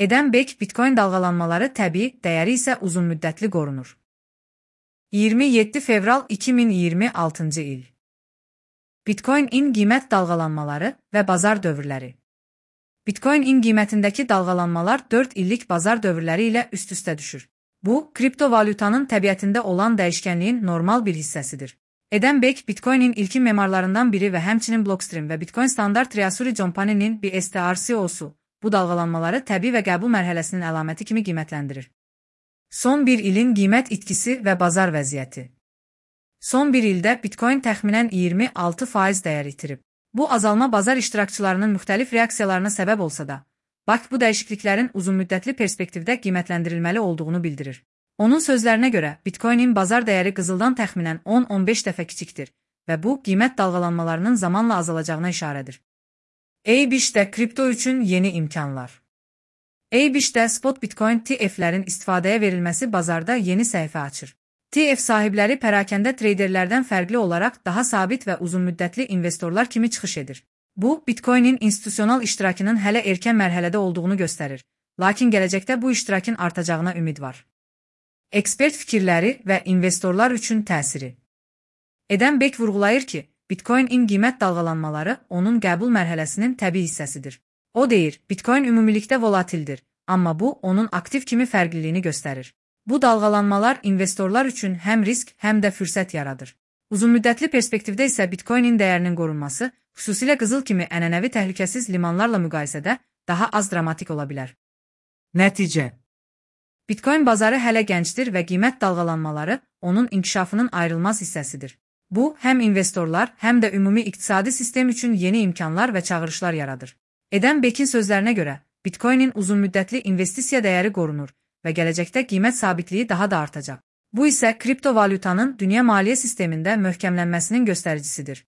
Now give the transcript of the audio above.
Edən Bek Bitcoin dalğalanmaları təbii, dəyəri isə uzunmüddətli qorunur. 27 fevral 2026-cı il. Bitcoin-in qiymət dalğalanmaları və bazar dövrləri. Bitcoin-in qiymətindəki dalğalanmalar 4 illik bazar dövrləri ilə üst-üstə düşür. Bu, kriptovalyutanın təbiətində olan dəyişkənliyin normal bir hissəsidir. Edən Bek Bitcoin-in ilkin memarlarından biri və həmçinin Blockstream və Bitcoin Standard Treasury Company-nin BSTR-CEO'su bu dalğalanmaları təbii və qəbul mərhələsinin əlaməti kimi qiymətləndirir. Son bir ilin qiymət itkisi və bazar vəziyyəti. Son bir ildə Bitcoin təxminən 26% dəyər itirib. Bu azalma bazar iştirakçılarının müxtəlif reaksiyalarına səbəb olsa da, BAK bu dəyişikliklərin uzunmüddətli perspektivdə qiymətləndirilməli olduğunu bildirir. Onun sözlərinə görə, Bitcoin-in bazar dəyəri qızıldan təxminən 10-15 dəfə kiçikdir və bu, qiymət dalğalanmalarının zamanla azalacağına işarədir. A-Bish'də kripto üçün yeni imkanlar. A-Bish'də spot Bitcoin TF-lərin istifadəyə verilməsi bazarda yeni səhifə açır. TF sahibləri pərakəndə treyderlərdən fərqli olaraq daha sabit və uzunmüddətli investorlar kimi çıxış edir. Bu, Bitcoin-in institusional iştirakının hələ erkən mərhələdə olduğunu göstərir, lakin gələcəkdə bu iştirakın artacağına ümid var. Ekspert fikirləri və investorlar üçün təsiri. Edən Bek vurğulayır ki, Bitcoin-in qiymət dalğalanmaları onun qəbul mərhələsinin təbii hissəsidir. O deyir, Bitcoin ümumilikdə volatildir, amma bu, onun aktiv kimi fərqliliyini göstərir. Bu dalğalanmalar investorlar üçün həm risk, həm də fürsət yaradır. Uzunmüddətli perspektivdə isə Bitcoin-in dəyərinin qorunması, xüsusilə qızıl kimi ənənəvi təhlükəsiz limanlarla müqayisədə daha az dramatik ola bilər. Nəticə. Bitcoin bazarı hələ gəncdir və qiymət dalğalanmaları onun inkişafının ayrılmaz hissəsidir. Bu, həm investorlar, həm də ümumi iqtisadi sistem üçün yeni imkanlar və çağırışlar yaradır. Edən Bekin sözlərinə görə, Bitcoin-in uzunmüddətli investisiya dəyəri qorunur və gələcəkdə qiymət sabitliyi daha da artacaq. Bu isə kriptovalyutanın dünya maliyyə sistemində möhkəmlənməsinin göstəricisidir.